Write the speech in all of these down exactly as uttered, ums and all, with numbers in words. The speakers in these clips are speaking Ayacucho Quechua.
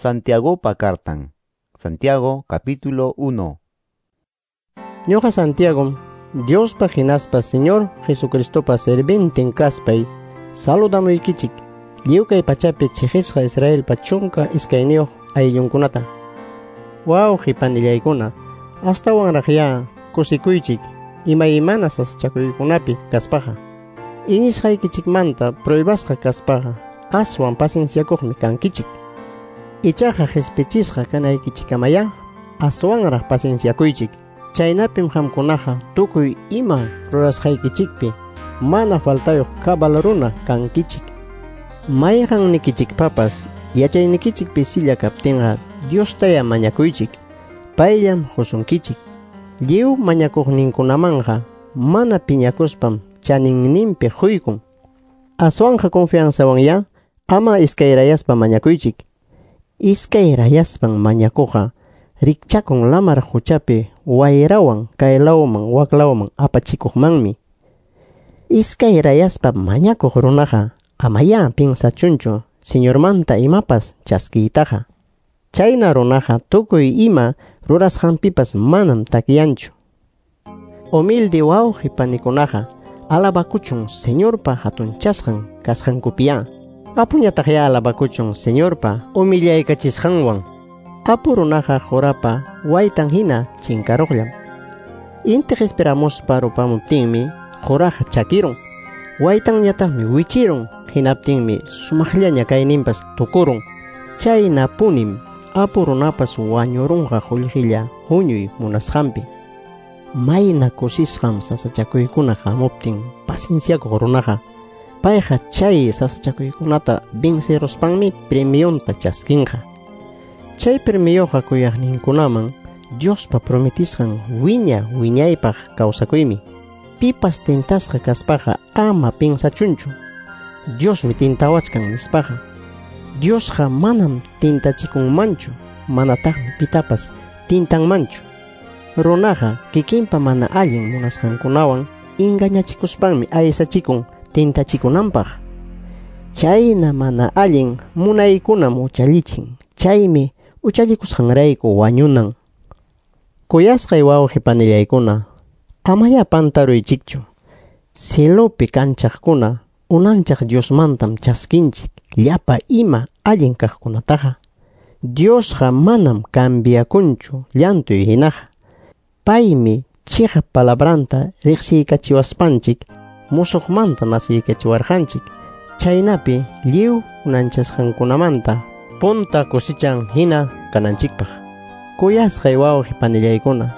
Santiagopa cartan. Santiago capítulo uno. Ñuqa Santiago, Diospa hinaspa Señor Jesucristopa servintin kaspay, saludamuykichik lliw kay pachapi chiqisqa Israelpa chunka iskayniyuq ayllunkunata. Wawqi panillaykuna, astawanraqyá kusikuychik imaymana sasachakuykunapi kaspaqa. Iñisqaykichikmanta pruebasqa kaspaqa aswan pacienciakuqmi kankichik. Ichaqa qispichisqa kanaykichikamayá aswanraq pacienciakuychik. Chaynapim qamkunaqa tukuy ima rurasqaykichikpi mana faltayuq cabal runa kankichik. Mayqannikichikpapas yachaynikichik pisilla kaptinqa Diostaya mañakuychik, payllam qusunkichik. Lliw mañakuqninkunamanqa mana piñakuspam chaninninpi quykun. Aswanqa confianzawanya ama iskayrayaspa mañakuychik. Iskayrayaspan mañakuqa rikchakun lamar quchapi wayrawan kaylawman waklawman apachikuqmanmi. Iskayrayaspa mañakuq runaqa amayá pinsachunchu Señormanta imapas chaskiytaqa. Chayna runaqa tukuy ima rurasqanpipas manam takyanchu. Humilde wawqi panikunaqa alabakuchun Señorpa hatunchasqan kasqankupiyá. Apuñataqyá alabakuchun Señorpa humillaykachisqanwan. Apu runaqa qurapa waytan hina chinkaruqllam. Inti qispiramuspa rupamuptinmi quraqa chakirun. Waytanñataqmi wichirun, hinaptinmi sumaqllaña kayninpas tukurun. Chaynapunim apu runapas wañurunqa qullqilla huñuy munasqanpi. Mayna kusisqam sasachakuykuna hamuptin pacienciakuq runaqa. Payqa chay sasachakuykunata venceruspanmi premionta chaskinqa. Chay premioqa kuyaqninkunaman Diospa prometisqan wiña wiñaypaq kawsakuymi. Pipas tintasqa kaspaqa ama pinsachunchu Diosmi tintawachkan nispaqa. Diosqa manam tintachikunmanchu, manataqmi pitapas tintanmanchu. Runaqa kikinpa mana allin munasqankunawan engañachikuspanmi aysachikun tintachikunanpaq. Chayna mana allin munaykunam uchallichin, chaymi uchallikusqanrayku wañunan. Kuyasqay wawqi panillaykuna, amayá pantaruychikchu. Cielopi kanchaqkuna unanchaq Diosmantam chaskinchik llapa ima allin kaqkunataqa. Diosqa manam cambiakunchu llantuy hinaqa. Paymi chiqap palabranta riqsiykachiwaspanchik musuqmanta nasiykachiwarqanchik. Chaynapi lliw unanchasqankunamanta punta kusichan hina kananchikpaq. Kuyasqay wawqi panillaykuna,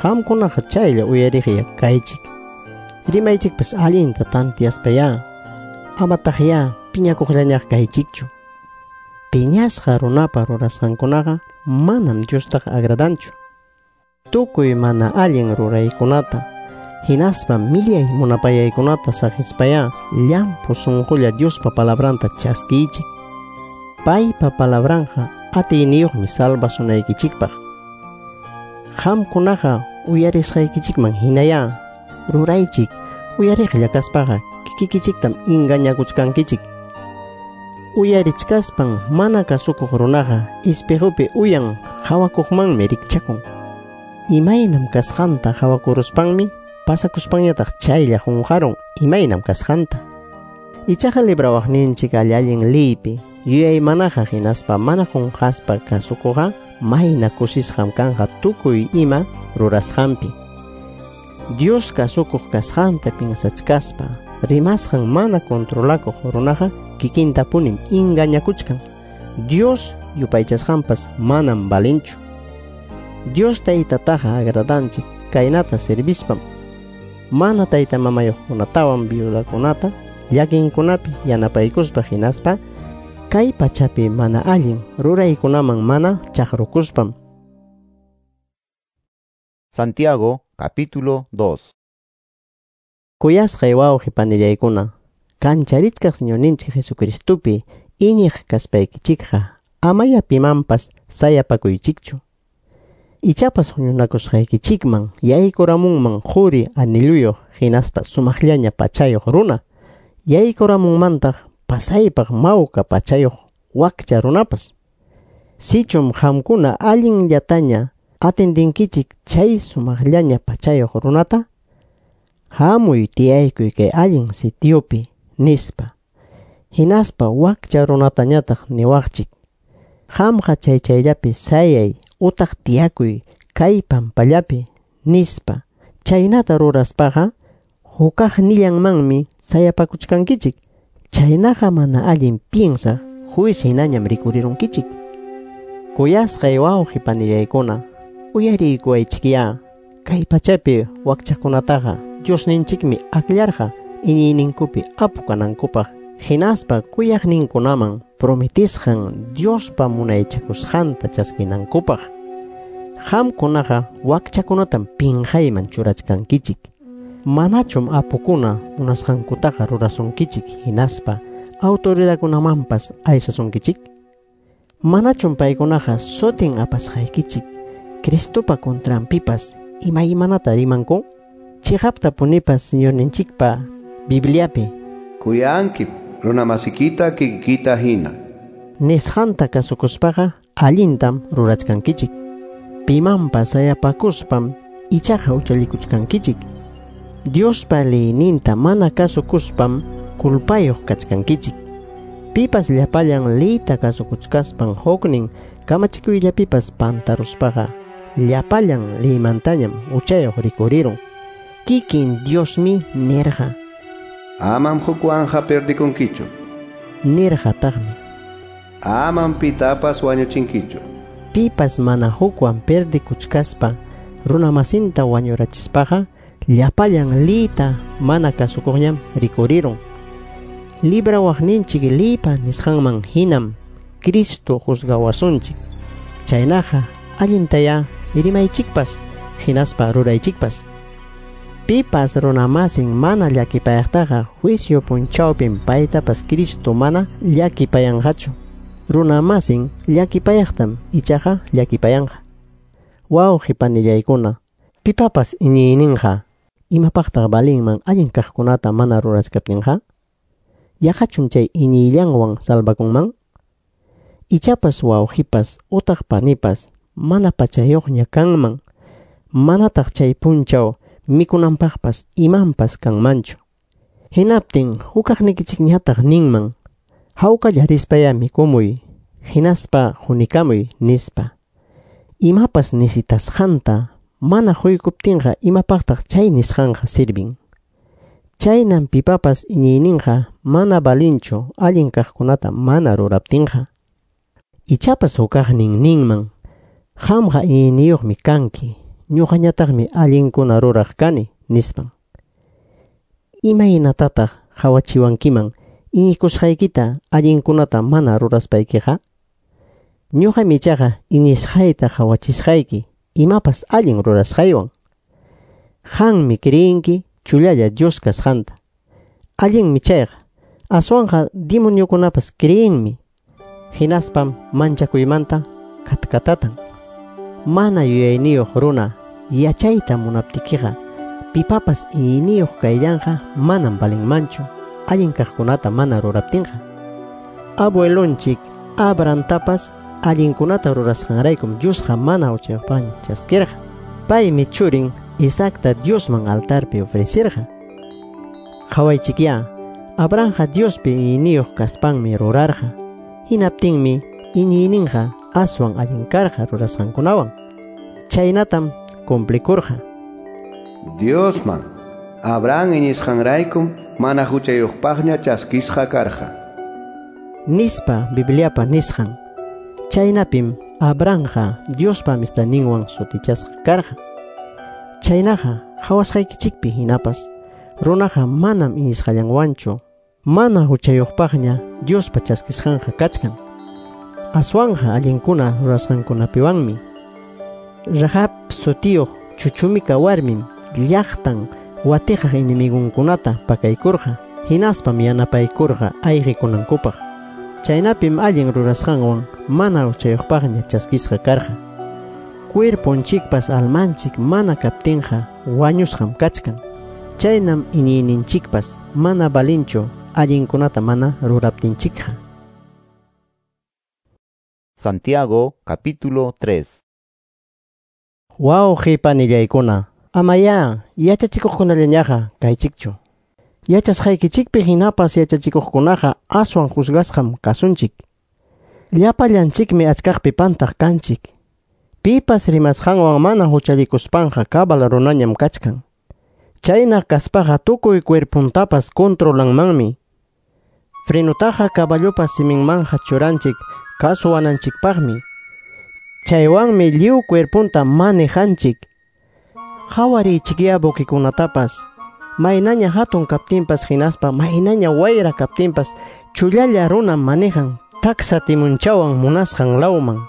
qamkunaqa chaylla uyariqya kaychik. Rimaychikpas allinta tantiyaspayá, amataqyá piñakuqllañaq kaychikchu. Piñasqa runapa rurasqankunaqa manam Diostaqa agradanchu. Tukuy mana allin ruraykunata hinaspa millay munapayaykunata saqispayá llampu sunqulla Diospa palabranta chaskiychik. Paypa palabranqa atiyniyuqmi salvasunaykichikpaq. Qamkunaqa uyarisqaykichikman hinayá ruraychik. Uyariqlla kaspaqa kikikichiktam engañakuchkankichik. Uyarichkaspan mana kasukuq runaqa espejopi uyan qawakuqmanmi rikchakun. Imaynam kasqanta qawakuruspanmi pasakuspanñataq chaylla qunqarun imaynam kasqanta. Ichaqa librawaqninchik allin liypi yuyaymanaqa hinaspa mana qunqaspa kasukuqqa mayna kusisqam kanqa tukuy ima rurasqanpi. Dios kasukuq kasqanta pinsachkaspa rimasqan mana controlakuq runaqa kikintapunim engañakuchkan. Dios yupaychasqanpas manam valinchu. Dios taytataqa agradanchik kaynata servispam mana tayta mamayuqkunatawan viudakunata llakinkunapi yanapaykuspa hinaspa kay pachapi mana allin ruraykunaman mana chaqrukuspam. Santiago capítulo dos. Kuyasqay wawqi panillaykuna, kancharichkaq Señorninchik Jesucristopi iñiq kaspaykichikqa amaya pimanpas sayapakuychikchu. Ichapas huñunakusqaykichikman yaykuramunman quri anilluyuq hinaspa sumaqllaña pachayuq runa, yaykuramunmantaq pasaypaq mawka pachayuq wakcha runapas. Sichum qamkuna allinllataña atendinkichik chay sumaqllaña pachayuq runata, hamuy tiyaykuy kay allin sitiopi, nispa. Hinaspa wakcha runatañataq niwaqchik: Qamqa chay chayllapi sayay utaq tiyakuy kay pampallapi, nispa. Chaynata ruraspaqa hukaqnillanmanmi sayapakuchkankichik. Chaynaqa mana allin piensaq juez hinañam rikurirunkichik. Kuyasqay wawqi panillaykuna, uyariykuwaychikyá. Kay pachapi wakchakunataqa Diosninchikmi akllarqa iñiyninkupi apu kanankupaq, hinaspa kuyaqninkunaman prometisqan Diospa munaychakusqanta chaskinankupaq. Qamkunaqa wakchakunatam pinqayman churachkankichik. Manachum apukuna munasqankutaqa rurasunkichik hinaspa autoridadkunamanpas aysasunkichik? Manachum paykunaqa sutin apasqaykichik Cristopa contranpipas imaymanata rimanku? Chiqaptapunipas Señorninchikpa Bibliapi Kuyanki runamasikita kikikita hina nisqanta kasukuspaqa allintam rurachkankichik. Pimanpas sayapakuspam ichaqa huchallikuchkankichik. Diospa leyninta mana kasukuspam culpayuq kachkankichik. Pipas llapallan leyta kasukuchkaspan huknin kamachikuyllapipas pantaruspaqa llapallan leymantañam huchayuq rikurirun. Kikin Diosmi nirqa: Amam hukwanqa perdikunkichu. Nirqataqmi: Amam pitapas wañuchinkichu. Pipas mana hukwan perdikuchkaspa runamasinta wañurachispaqa llapallan leyta mana kasukuqñam rikurirun. Librawaqninchik leypa nisqanman hinam Cristo juzgawasunchik. Chaynaqa allintayá rimaychikpas hinaspa ruraychikpas. Pipas runamasin mana llakipayaqtaqa juicio punchawpim paytapas Cristo mana llakipayanqachu. Runamasin llakipayaqtam ichaqa llakipayanqa. Wawqi panillaykuna, pipapas iñiyninqa imapaqtaq valinman allin kaqkunata mana rurachkaptinqa? Yaqachum chay iñiyllanwan salvakunman? Ichapas wawqipas utaq panipas mana pachayuqña kanman, manataq chay punchaw mikunanpaqpas imanpas kanmanchu. Hinaptin hukaqnikichikñataq ninman: Hawkalla rispaya mikumuy, hinaspa hunikamuy, nispa. Imapas nisitasqanta mana huykuptinqa imapaqtaq chay nisqanqa sirvin? Chaynam pipapas iñiyninqa mana valinchu allin kaqkunata mana ruraptinqa. Ichapas hukaqnin ninman: Qamqa iñiyniyuqmi kanki, ñuqañataqmi allinkuna ruraq kani, nispan. Imaynatataq qawachiwankiman iñikusqaykita allinkunata mana ruraspaykiqa? Ñuqam ichaqa iñisqayta qawachisqayki imapas allin rurasqaywan. Qanmi creenki chullalla Dios kasqanta. Allinmi chayqa, aswanqa demoniokunapas creenmi. Hinaspam manchakuymanta katkatatan. Mana yuyayniyuq runa yachayta munaptikiqa pipapas iñiyniyuq kayllanqa manam valinmanchu allin kaqkunata mana ruraptinqa. Abuelonchik Abrahamtapas allinkunata rurasqanraykum Diosqa mana huchayuqpaqña chaskirqa. Paymi churin Isaacta Diosman altarpi ofrecerqa. Qawaychikyá, Abrahamqa Diospi iñiyniyuq kaspanmi rurarqa. Hinaptinmi iñiyninqa aswan allin karqa rurasqankunawan. Chaynatam cumplikurqa. Diosman Abraham iñisqanraykum mana huchayuqpaqña chaskisqa karqa, nispa Bibliapa nisqan. Chaynapim Abrahamqa Diospa amistadninwan sutichasqa karqa. Chaynaqa qawasqaykichikpi hinapas runaqa manam iñisqallanwanchu mana huchayuqpaqña Diospa chaskisqanqa kachkan. Aswanqa allinkuna rurasqankunapiwanmi. Rahab sutiyuq chuchumika warmim llaqtan watiqaq enemigunkunata pakaykurqa, hinaspam yanapaykurqa ayqikunankupaq. Chaynapim allin rurasqanwan mana huchayuqpaqña chaskisqa karqa. Cuerponchikpas almanchik mana kaptinqa wañusqam kachkan. Chaynam iñiyninchikpas mana valinchu allinkunata mana ruraptinchikqa. Santiago capítulo tres. Wawqi panillaykuna, amayá yachachikuqkunallañaqa kaychikchu. Yachasqaykichikpi hinapas yachachikuqkunaqa aswan juzgasqam kasunchik. Llapallanchikmi achkaqpi pantaq kanchik. Pipas rimasqanwan mana huchallikuspanqa cabal runañam kachkan. Chayna kaspaqa tukuy cuerpuntapas controlanmanmi. Frenutaqa caballopa siminmanja churanchik kasuwananchikpaqmi. Chaywanmi lliw cuerpunta manejanchik. Qhawariychikya buquikunatapas. Maynaña hatun kaptinpas hinaspa maynaña wayra kaptinpas chullalla runa manejan taksa timunchawan munasqan lawman.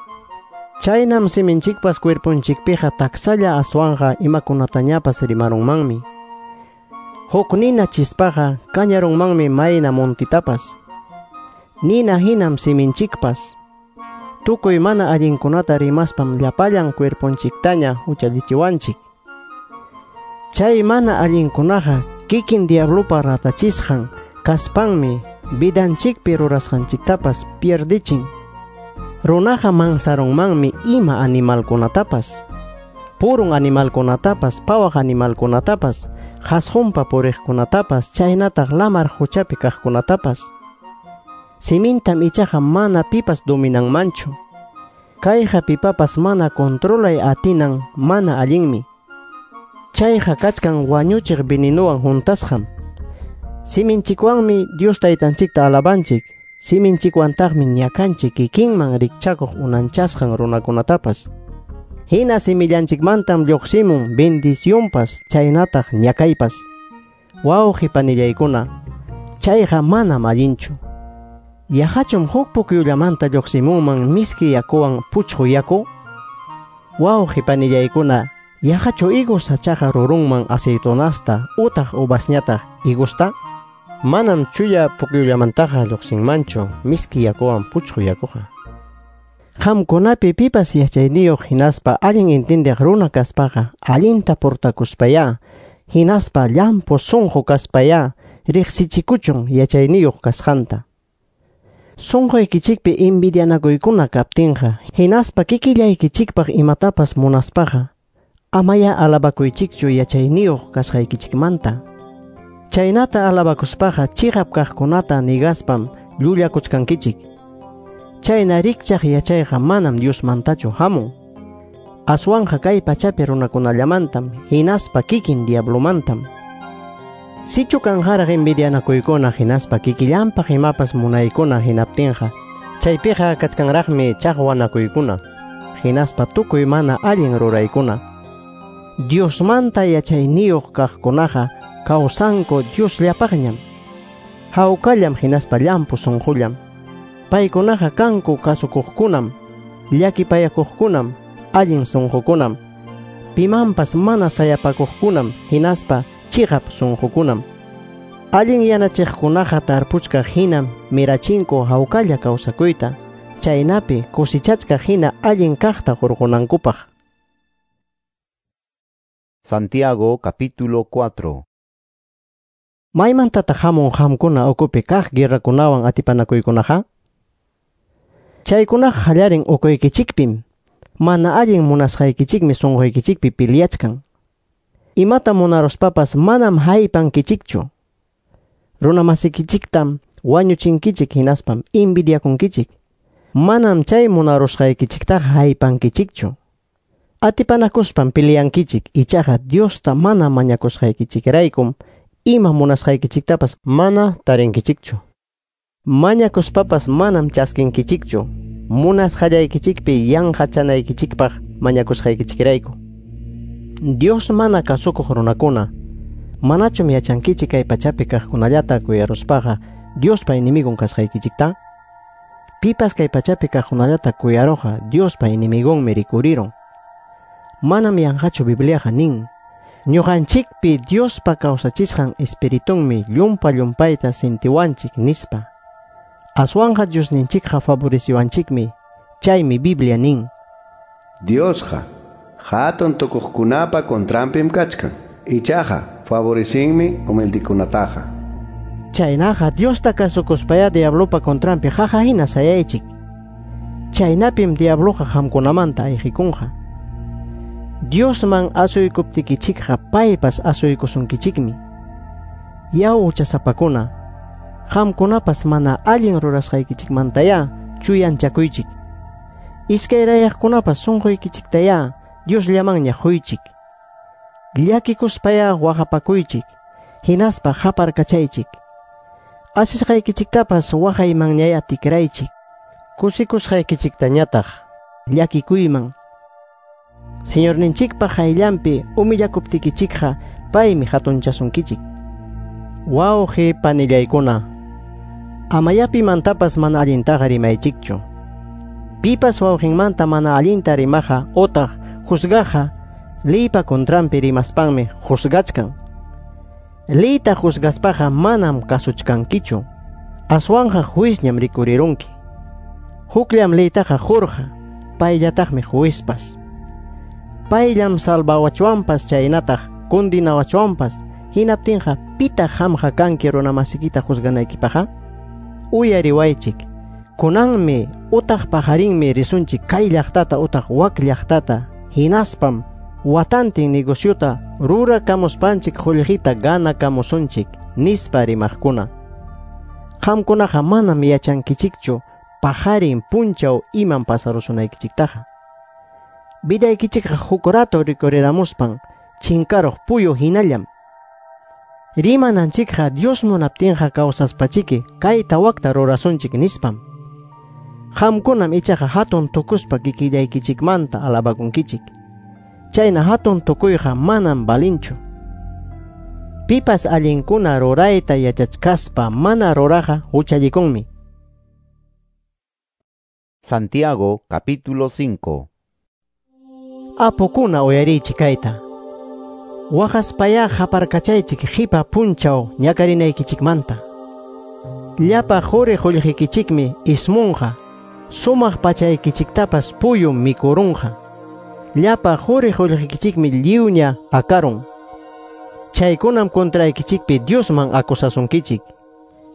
Chaynam siminchikpas cuerpunchikpiqa taksalla aswanqa imakunatañapas rimarunmanmi. Huk nina chispaqa kañarunmanmi mayna montitapas. Nina hinam siminchikpas. Tukuy mana allinkunata rimaspam llapallan cuerpunchiktaña huchallichiwanchik. Chay mana allinkunaqa kikin diablopa ratachisqan kaspanmi vidanchikpi rurasqanchiktapas pierdichin. Runaqa mansarunmanmi ima animalkunatapas, purun animalkunatapas, pawaq animalkunatapas, qhasqunpa puriqkunatapas, chaynataq lamar huchapi kaqkunatapas. Simintam ichaqa mana pipas dominanmanchu. Kayqa pipapas mana controlay atinan mana allinmi. Chayqa kachkan wañuchiq venenuwan juntasqam. Siminchikwanmi Dios taytanchikta alabanchik. Siminchikwantaqmi ñakanchik kikinman rikchakuq unanchasqan runakunatapas. Hina simillanchikmantam lluqsimun bendicionpas chaynataq ñakaypas. Wawqi panillaykuna, chayqa manam allinchu. Yaqachum huk pukyullamanta lluqsimunman miski yakuwan puchqu yaku? Wawqi panillaykuna, yaqachu higos sachaqa rurunman aceitunasta utaq uvasñataq higusta? Manam chulla pukyullamantaqa lluqsinmanchu miski yakuwan puchqu yakuqa. Qamkunapi pipas yachayniyuq hinaspa allin intindiq runa kaspaqa allinta portakuspayá, hinaspa llampu sunqu kaspayá riqsichikuchun yachayniyuq kasqanta. Sunquykichikpi envidianakuykuna kaptinqa, hinaspa kikillaykichikpaq imatapas munaspaqa, amaya alabakuychikchu yachayniyuq kasqaykichikmanta. Chaynata alabakuspaqa chiqap kaqkunata nigaspam llullakuchkankichik. Chayna rikchaq yachayqa manam Diosmantachu hamun. Aswanqa kay pachapi runakunallamantam, hinaspa kikin diablomantam. Sichu kanqaraq envidianakuykuna hinaspa kikillanpaq imapas munaykuna hinaptinqa, chaypiqa kachkanraqmi chaqwanakuykuna, hinaspa tukuy mana allin ruraykuna. Diosmanta yachayniyuq kaqkunaqa kawsanku Diosllapaqñam. Hawkallam hinaspa llampu sunqullam. Paykunaqa kanku kasukuqkunam, llakipayakuqkunam, allin sunqukunam, pimanpas mana sayapakuqkunam, hinaspa chiqap sunqukunam. Allin yanachiqkunaqa tarpuchkaq hinam mirachinku hawkalla kawsakuyta, chaynapi kusichachkaq hina allin kaqta hurqunankupaq. Santiago capítulo cuatro. Maymantataq hamun qamkuna ukupi kaq guerrakunawan atipanakuykunaqa? Chaykunaqa qallarin ukuykichikpim, mana allin munasqaykichikmi sunquykichikpi piliachkan. Imata munaruspapas manam haypankichikchu. Runamasikichiktam wañuchinkichik hinaspam envidiakunkichik. Manam chay munarusqaykichiktaqa haypankichikchu. Atipanakuspam piliankichik, ichaqa Diosta mana mañakusqaykichikraykum ima munasqaykichiktapas mana tarinkichikchu. Mañakuspapas manam chaskinkichikchu, munasqallaykichikpi yanqachanaykichikpaq mañakusqaykichikrayku. Dios mana kasukuq runakuna, manachum yachankichik kay pachapi kaqkunallata kuyaruspaqa Diospa enemigon kasqaykichikta? Pipas kay pachapi kaqkunallata kuyaruqa Diospa enemigonmi rikurirun. Manam yanqachu Bibliaqa nin, ñuqanchikpi Diospa kawsachisqan espiritunmi llumpa llumpayta sintiwanchik nispa. Aswanqa Diosninchikqa favoreciwanchikmi, chaymi Biblia nin. Diosqa hatun tukuqkunapa contranpim kachkan, ichaqa favorecinmi humildekunataqa. Chaynaqa Diosta kasukuspaya diablopa contranpi qaqa hina sayaychik. Chaynapim diabloqa qamkunamanta ayqikunqa. Diosman asuykuptikichikqa paypas asuykusunkichikmi. Yaw huchasapakuna, qamkunapas mana allin rurasqaykichikmantayá chuyanchakuychik. Iskayrayaqkunapas sunquykichiktayá Diosllamanña quychik. Llakikuspayá waqapakuychik, hinaspa qaparkachaychik. Asisqaykichiktapas waqaymanñayá tikraychik. Kusikusqaykichiktañataq llakikuyman. Señorninchikpa qayllanpi humillakuptikichikqa paymi hatunchasunkichik. Wawqi panillaykuna, amaya pimantapas mana allintaqa rimaychikchu. Pipas wawqinmanta mana allinta rimaqa otaq juzgaqa leypa contranpi rimaspanmi juzgachkan. Leyta juzgaspaqa manam kasuchkankichu, aswanqa juizñam rikurirunki. Hukllam leytaqa qurqa, payllataqmi juizpas. Payllam salvawachwanpas chaynataq kundinawachwanpas, hinaptinqa pitaq qamqa kanki runamasikita juzganaykipaqqa? Uyariwaychik, kunanmi utaq paqarinmi risunchik kay llaqtata utaq wak llaqtata, hinaspam watantin negociota rurakamuspanchik qullqita ganakamusunchik, nispa rimaqkuna. Qamkunaqa manam yachankichikchu paqarin punchaw imam pasarusunaykichiktaqa. Vidaykichikqa huk rato rikuriramuspan chinkaruq puyu hinallam. Rimananchikqa Dios munaptinqa kawsaspachiki kayta wakta rurasunchik nispam. Qamkunam ichaqa hatun tukuspa kikillaykichikmanta alabakunkichik. Chayna hatun tukuyqa manam valinchu. Pipas allinkuna rurayta yachachkaspa mana ruraqa huchallikunmi. Santiago capítulo cinco. Apukuna uyarichik kayta. Waqaspayá qaparkachaychik qipa punchaw ñakarinaykichikmanta. Llapa quri qullqikichikmi ismunqa, sumaq pachaykichiktapas puyum mikurunqa. Llapa quri qullqikichikmi lliwña akarun. Chaykunam contraykichikpi Diosman acusasunkichik.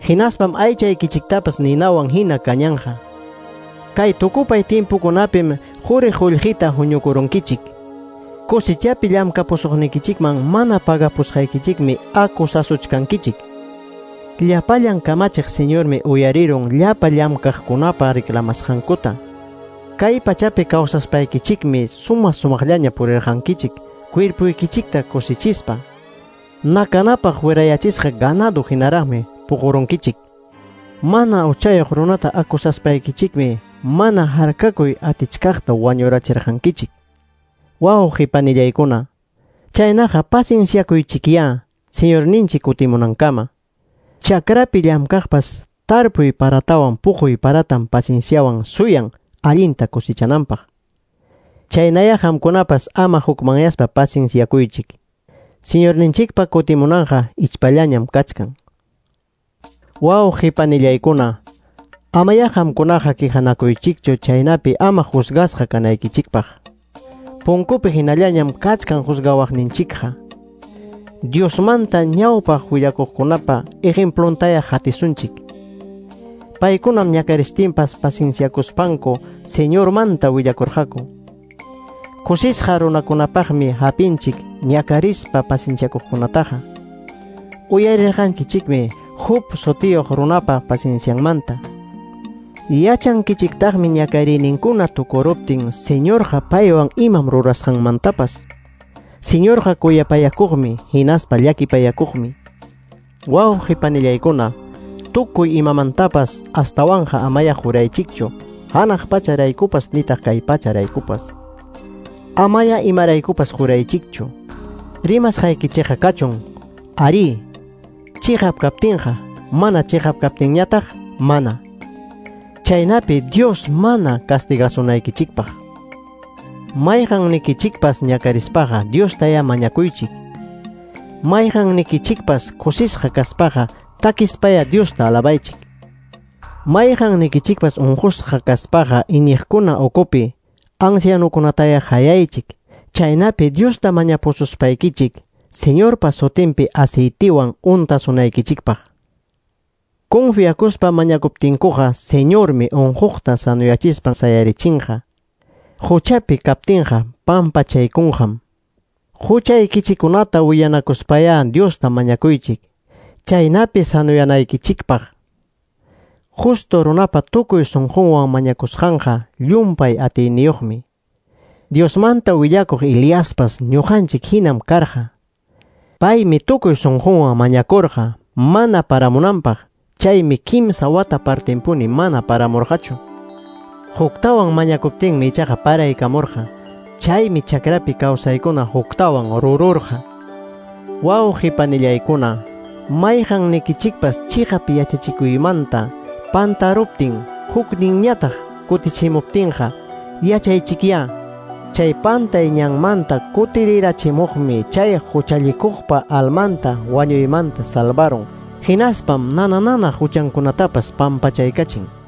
Hinaspam aychaykichiktapas ninawan hina kañanqa. Kay tukupay timpukunapim quri qullqita huñukurunkichik. Cosechapi llamkapusuqnikichikman mana pagapusqaykichikmi acusasuchkankichik. Llapallan kamachiq Señormi uyarirun llapa llamkaqkunapa reclamasqankuta. Kay pachapi kawsaspaykichikmi suma sumaqllaña purirqankichik, cuerpuykichikta kusichispa. Nakanapaq wirayachisqa ganado hinaraqmi puqurunkichik. Mana uchayuq runata acusaspaykichikmi mana harkakuy atichkaqta wañurachirqankichik. Wawqi panillaykuna, chaynaqa pacienciakuychikyá Señorninchik kutimunankama. Chakrapi llamkaqpas tarpuy paratawan puquy paratam pacienciawan suyan allinta cosechananpaq. Chaynaya qamkunapas ama hukmanyaspa pacienciakuychik. Señorninchikpa kutimunanqa ichpallañam kachkan. Wawqi panillaykuna, amaya qamkunaqa quejanakuychikchu chaynapi ama juzgasqa kanaykichikpaq. Punkupi hinallañam kachkan juzgawaqninchikqa. Diosmanta ñawpaq willakuqkunapa ejemplontaya hatisunchik. Paykunam ñakaristinpas pacienciakuspanku Señormanta willakurqaku. Kusisqa runakunapaqmi hapinchik ñakarispa pacienciakuqkunataqa. Uyarirqankichikmi Job sutiyuq runapa paciencianmanta. Yachankichiktaqmi ñakariyninkuna tukuruptin Señorqa paywan imam rurasqanmantapas. Señorqa kuyapayakuqmi hinaspa llakipayakuqmi. Wawqi panillaykuna, tukuy imamantapas astawanqa amaya juraychikchu, hanaq pacharaykupas nitaq kay pacharaykupas. Amaya imaraykupas juraychikchu. Rimasqaykichikqa kachun, arí, chiqap kaptinqa, mana chiqap kaptinñataq, mana. Chaynapi Dios mana castigasunaykichikpaq. Mayqannikichikpas ñakarispaqa Diostaya mañakuychik. Mayqannikichikpas kusisqa kaspaqa takispaya Diosta alabaychik. Mayqannikichikpas unqusqa kaspaqa iñiqkuna ukupi ancianukunataya hayaychik. Chaynapi Diosta mañapususpaykichik Señorpa sutinpi aceitiwan untasunaykichikpaq. Confiakuspa mañakuptinkuqa Señormi unquqta sanuyachispan sayarichinqa. Huchapi kaptinqa pampachaykunqam. Huchaykichikkunata willanakuspayá Diosta mañakuychik, chaynapi sanuyanaykichikpaq. Justo runapa tukuy sunqunwan mañakusqanqa llumpay atiyniyuqmi. Diosmanta willakuq Eliaspas ñuqanchik hinam karqa. Paymi tukuy sunqunwan mañakurqa mana paramunanpaq, chaymi kimsa wata partinpuni mana paramurqachu. Huktawan mañakuptinmi ichaqa paraykamurqa. Chaymi chakrapi kawsaykuna huktawan rururqa. Wawqi panillaykuna, mayqan nikichikpas chiqap yachachikuymanta pantaruptin hukninñataq kutichimuptinqa, yachaychikyá, chay pantay ñanmanta kutirirachimuqmi chay huchallikuqpa almanta wañuymanta salvarun, hinaspam nana nana huchankunatapas pampachaykachin.